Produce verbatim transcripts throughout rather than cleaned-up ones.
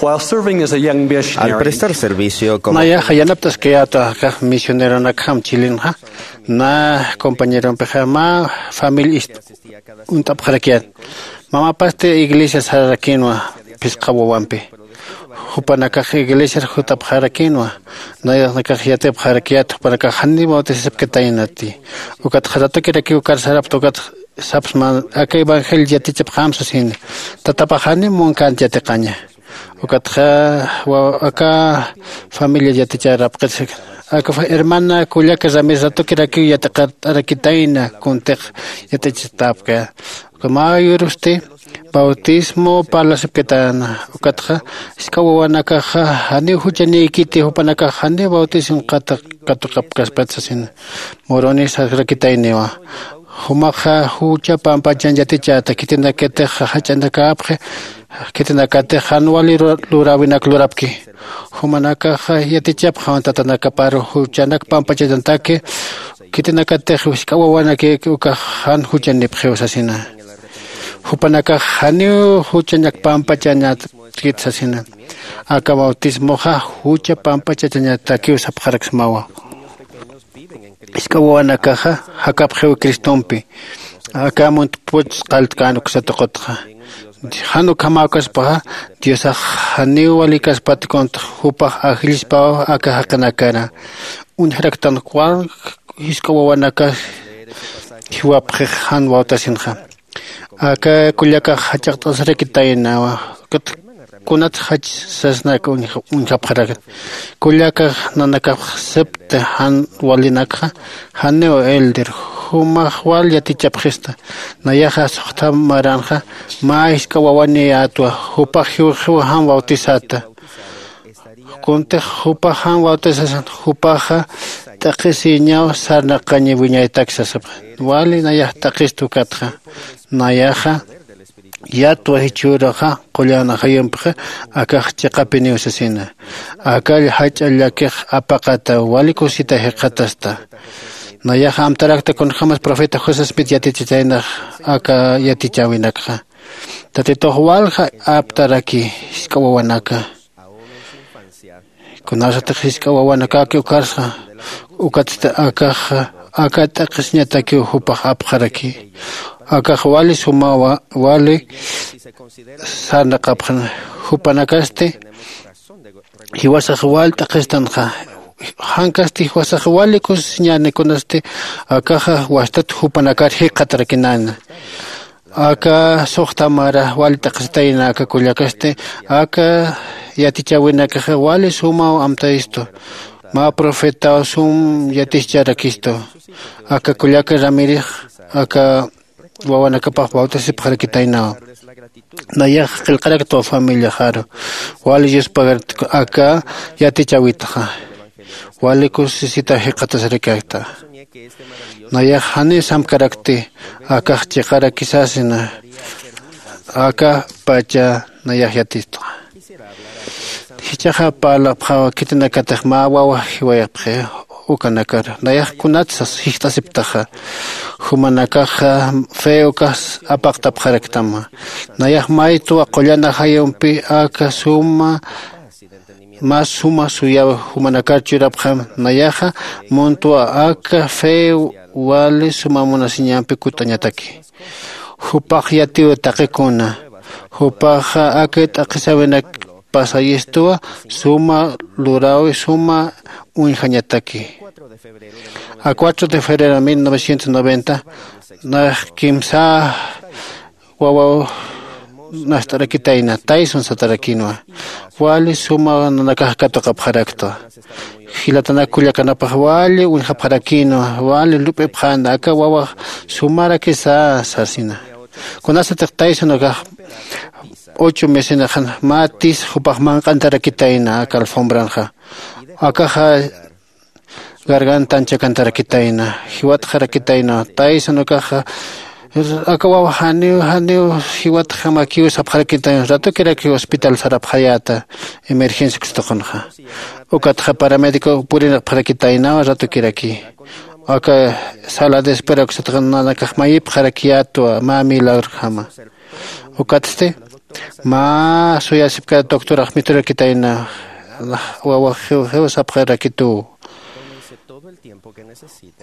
While serving as a young missionary, al prestar servicio como nayaxa yanapt'askayäta akax misioneronakjam chilinxa, na compañerompixa mä familia ist unt'apxarakiyät. Mamapasti iglesia sararakinwa phisqa wawampi. Jupanakax iglesiar jutapxarakinwa. Nayaxnakax yatipxarakiyät jupanakax janiw bautisasipkitaynati. Ukat jaratukirakiw ukar sarapta ukat sapsma aka evangelio yatichapxam sasini. Tatapax janiw munkänti yatiqaña. Ukatxa aka familia yatichärapxit. Aka hermana kullaka Ramírez ratukirakiw yatiqart'arakitayna kuntix yatichitapkaya. Uka mä yurusti bautismo parlasipkitäna. Ukatxa jisk'a wawanakaxa janiw juchanïkiti jupanakax janiw bautismo katuqapkaspat sasina. Muruni sarakitayniwa. Jumaxa jucha pampachan yatichäta khitinakatix jach'anakäpxi. Khitinakatix jan wali luräwinak lurapki. Jumanakaxa yatichapxam tatanakaparu juchanak pampachañataki. Khitinakatix jisk'a wawanakïki ukax jan juchanipxiw sasina. Jupanakax janiw juchanak pampachañatkit sasina. Aka bautismoxa jucha pampachachañatakiw sapxaraksmawa. Jisk'a wawanakaxa jakapxiw cristompi. Aka muntp'uch qalltkän uksa tuqutxa. Jan ukhamäkaspaxa diosax janiw walikaspat kuntx jupax ajllispaw aka jaqinakara. Uñjaraktan cual jisk'a wawanakax jiwapxix jan bautasinxa. Aka kullakax jach'aqt'asarakitaynawa. Kunat jach sasnak uñjapxarakta. Kullakax nanakax septa jan walinakxa janiw elder jumax wal yatichapxista. Nayaxa suxta maranxa mä jisk'a wawaniyätwa. Jupax jiwxiw jan bautisata. Kuntix jupax jan bautisasat jupaxa t'aqhisiñaw sarnaqañi wiñaytak sasipxa. Wali nayax t'aqhista ukatxa. Nayaxa yatwa jichhüruxa qullan ajayumpxa. Akax chiqapiniw sasina. Aka jach'a llakix apaqata wali kusita jikxatasta. Nayaxa amtarakta kunjämas profeta josé smith yatichitaynax aka yatichäwinakxa. Tatitux walja aptaraki jisk'a wawanaka. Kunasatix jisk'a wawanakaki ukarsa ukatsti akaxa aka t'aqhisiñatakiw jupax apxaraki. Akax wali sumawa wali sarnaqapxan. Jupanakasti jiwasax wal t'aqhistanxa. Jankasti jiwasax wali kusisiñäni kunasti akaxa wastat jupanakar jikxatarakinäna. Aka suxta mara wali t'aqhisitayna aka kullakasti aka yatichäwinakaxa wali sumaw amtayistu. Mä profetaw sum yaticharakistu. Aka kullaka ramírez aka wawanakapax bautisipxarakitaynawa. Nayax qillqaraktwa familiaxaru. Wali yuspagartku aka yatichäwitxa. Wali kusisita jikxatasarakirakta. Nayax janiw samkarakti akax chiqarakisasina. Aka pacha nayax yatistxa. Jichhaxa parlapxawa khitinakatix mä wawa jiwayapxi. Ukanakar nayax kunatsa jijt'asiptaxa. Jumanakaxa fe ukax apaqtapxaraktama. Nayax maytwa qullan ajayumpi aka suma mä suma suyaw jumanakar churapxam. Nayaxa muntwa aka fe wali suma munasiñampi kut'añataki. Jupax yatiw taqikuna. Jupaxa aka t'aqhisäwinak pasayistuwa suma luräwi suma uñjañataki. A cuatro de febrero mil novecientos noventa nax kimsa wawaw nast'arakitayna taysun satarakinwa. Wali suma nanakax katuqapxaraktwa. Jilatanak kullakanapax wali uñjapxarakinwa wali lup'ipxäna aka wawax sumarakisa sasina. Kunasatix taysun akax ocho mesinaxan mä tis jupax manq'antarakitayna aka alfombranxa. Akaxa gargantan chakantarakitayna. Jiwatxarakitayna taysan ukaxa. Aka wawa janiw janiw jiwatxamakiw sapxarakitayna ratukirakiw hospital sarapxayäta. Emergencia kustuqunxa. Ukatxa paramédico purinaqpxarakitaynawa ratukiraki. Aka sala de espera kusatxa nanakax mayipxarakiyätwa mä milagrojama. Ukatsti Mä suyasipkata doctorax miturakitayna. Wawax jiw sapxirakituw.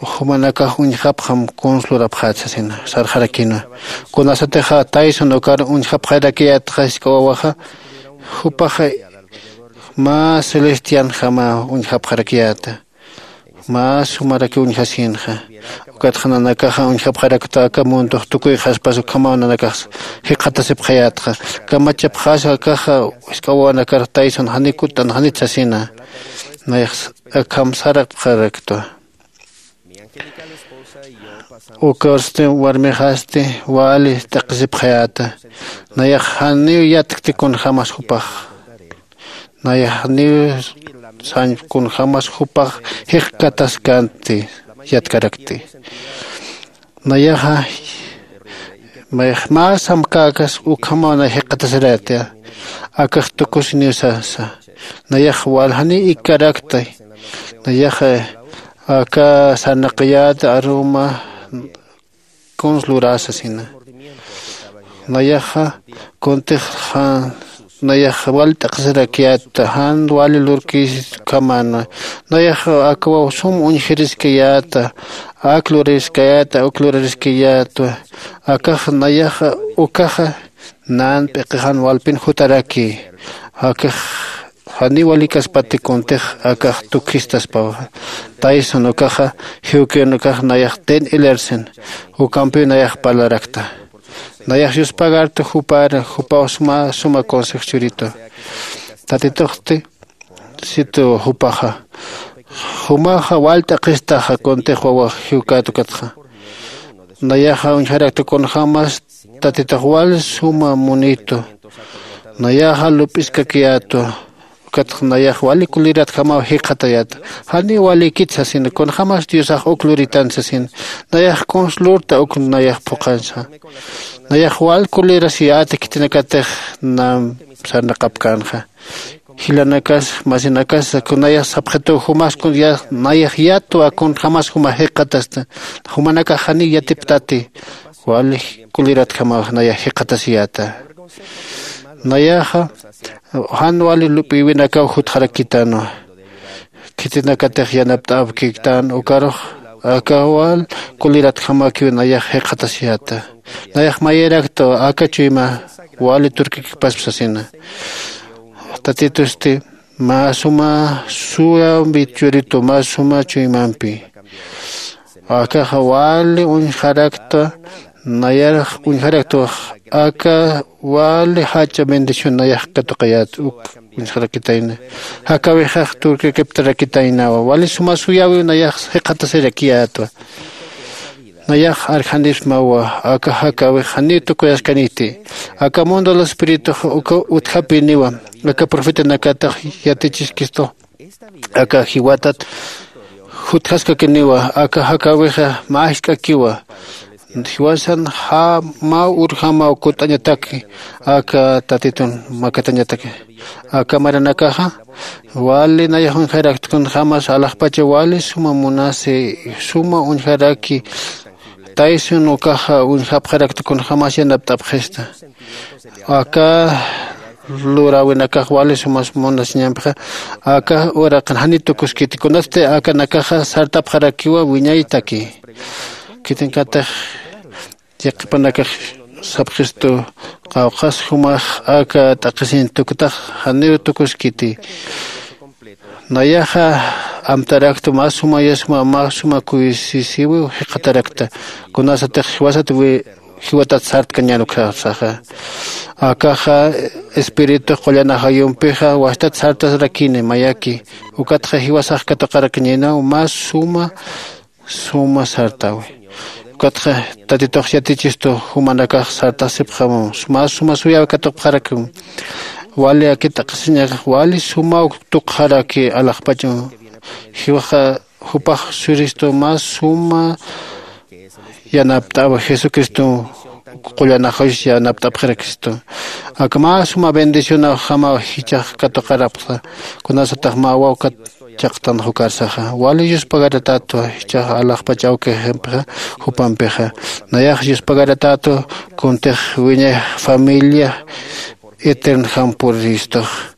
Jumanakax uñjapxam kunslurapxät sasina sarxarakïnwa. Kunasatixa taysun ukar uñjapxarakiyätxa jisk'a wawaxa, jupaxa mä celestianjamaw uñjapxarakiyäta. Mä sumaraki uñjasïnxa. Ukatxa nanakaxa uñjapxarakta aka mundox tukuyxaspas ukhamaw nanakax jikxatasipxayätxa. Kamachapxasa akaxa jisk'a wawanakar taysun janiw kutt'an janit sasina. Nayax akham sarapxaraktwa. Ukasti warmixasti wali t'aqhisipxayäta. Nayax janiw yatkti kunjämas jupax. Nayax janiw sañ kunjämas jupax jikxataskänti. Yatkarakti. Nayaxa mä samkäkas ukhamaw nay jikxatasirayäta. Akax tukusiniw sasa. Nayax waljaniw ikkarakta. Nayaxa aka sarnaqiyäta aruma kuns luräsasina. Nayaxa kuntix nayax wal t'aqhisirakiyäta jan wali lurkïs ukhamäna. Nayaxa akawaw sum uñjiriskayäta. Ak luririskayäta uk luririskayätwa. Akax nayaxa ukaxa nan p'iqixan walpin jutaraki. Akax janiw walïkaspati kuntix akax tukjistaspawa. Taysun ukaxa jiwkïn ukax nayax ten ilersen. Ukampiw nayax parlarakta. Nayax yuspagartu jupar jupaw suma suma consejo churitu. Tatituxti situ jupaxa jumaxa wal t'aqhistaxa kuntix wawax jiwkät ukatxa. Nayaxa uñjaraktu kunjämas tatitux wal suma munitu. Nayaxa lup'iskakiyätwa. Ukatxa nayax wali kuliratjamaw jikxatayäta. Janiw walïkit sasina kunjämas diosax uk luritan sasina. Nayax kuns lurta uk nayax phuqhansa. Nayax wal kulirasiyäta khitinakatix nam sarnaqapkänxa. Jilanakas masinakas kunayax sapxituw jumas nayax yatwa kunjämas juma jikxatasta. Jumanakax janiw yatiptati. Wali kuliratjamaw nayax jikxatasiyäta. Nayaxa jan wali lup'iwinakaw jutxarakitänwa. Khitinakatix yanapt'äwkïktän ukarux aka wal kuliratjamäkiw nayax jikxatasiyäta. Nayax mayïraktwa aka chuyma wali turkikipaspa sasina. Tatitusti mä suma suyampi churitu mä suma chuymampi. Akaxa wali uñjaraktwa. Nayarax uñjaraktwa aka wali jach'a bendición nayax katuqayät uk uñjarakitayna. Jakawixax turkikiptarakitaynawa wali suma suyäwiw nayax jikxatasirakiyätwa. Nayax arjanipsmawa aka jakawix janiw tukuyaskaniti. Aka mundo de los espíritux uka utjapiniwa. Aka profetanakatax yatichiskistu aka jiwatat jutjaskakiniwa aka jakawixa mä jisk'akiwa. Jiwasan mä urjamaw kutt'añataki aka tatitun makatañataki. Aka maranakaxa wali nayax uñjarakta kunjämas alaxpacha wali suma munasi suma uñjaraki. Taysun ukaxa uñjapxarakta kunjämas yanapt'apxista. Aka luräwinakax wali sumas munasiñampixa aka uraqin janiw tukuskiti kunasti akanakaxa sartapxarakiwa wiñaytaki. Khitinkatix yaqhipanakax sapxistu qawqhas jumax aka t'aqhisiñ tuktax janiw tukuskiti. Nayaxa amtarakta mä suma yasma mä suma kuysisiwiw jikxatarakta. Kunasatix jiwasat jiwatat sartkañän ukhasaxa. Akaxa espiritux qullan ajayumpixa wastat sartasarakini mayaki. Ukatxa jiwasax katuqarakiñänaw mä suma suma sartäwi. Ukatxa tatitux yatichistu jumanakax sartasipxamu mä suma suyäwi katuqpxarakimu. Wali akit t'aqhisiñakax wali sumaw tukxaraki alaxpachum. Jiwaxa jupax suristu mä suma yanapt'awa jesucristo. Qullan ajayus yanapt'apxarakistu. Aka mä suma bendicionawjamaw jichhax katuqarapxta. Kunasatax mä wawkat chaqtan jukarsaxa wali yuspagaratätwa jichhax alaxpach awkixampixa jupampixa. Nayax yuspagaratätwa kuntix wiñay familia eternjam puriristuxa.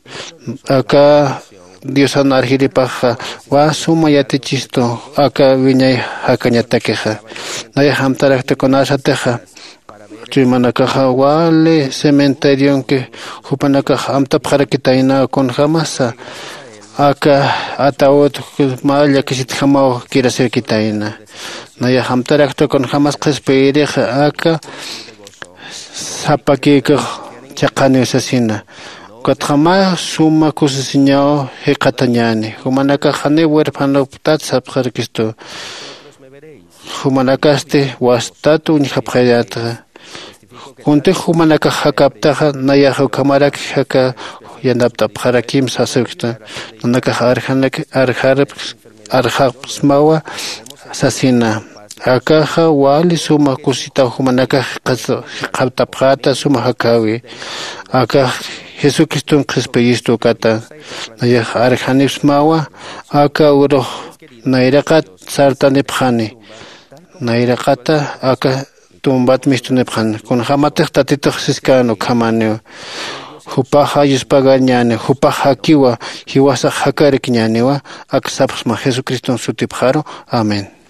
Aka diosan arjiripaxa wa suma yatichistu aka wiñay jakañatakixa. Nayax amtarakta kunasatixa chuymanakaxa wali cementerionki jupanakax amtapxarakitayna kunjamasa aka ataud mä llakisitjamaw kirasirkitayna. Nayax amtarakta kunjamas qhispiyirixa aka sapakïkix chiqaniw sasina. Ukatxa mä suma kusisiñaw jikxatañäni jumanakax janiw huerfanoptat sapxarakistu. Jumanakasti wastat uñjapxayätxa. Kuntix jumanakax jakaptaxa nayax ukhamarak jaka yanapt'apxarakim sasïkta. Nanakax arjanak arjarpx arjapxsmawa sasina. Akaxa wali suma kusitaw jumanakax jikxatapxäta suma jakäwi. Akax jesucriston qhispiyistu ukata. Nayax arjanipxsmawa aka urux nayraqat sartanipxani. Nayraqata aka tumbat mistunipxani kunjämatix tatitux siskän ukhamaniw. Jupaxa yuspagarñäniw jupax jakiwa jiwasax jakarkiñäniwa. Ak sapxsma jesucriston sutipxaru. Amén.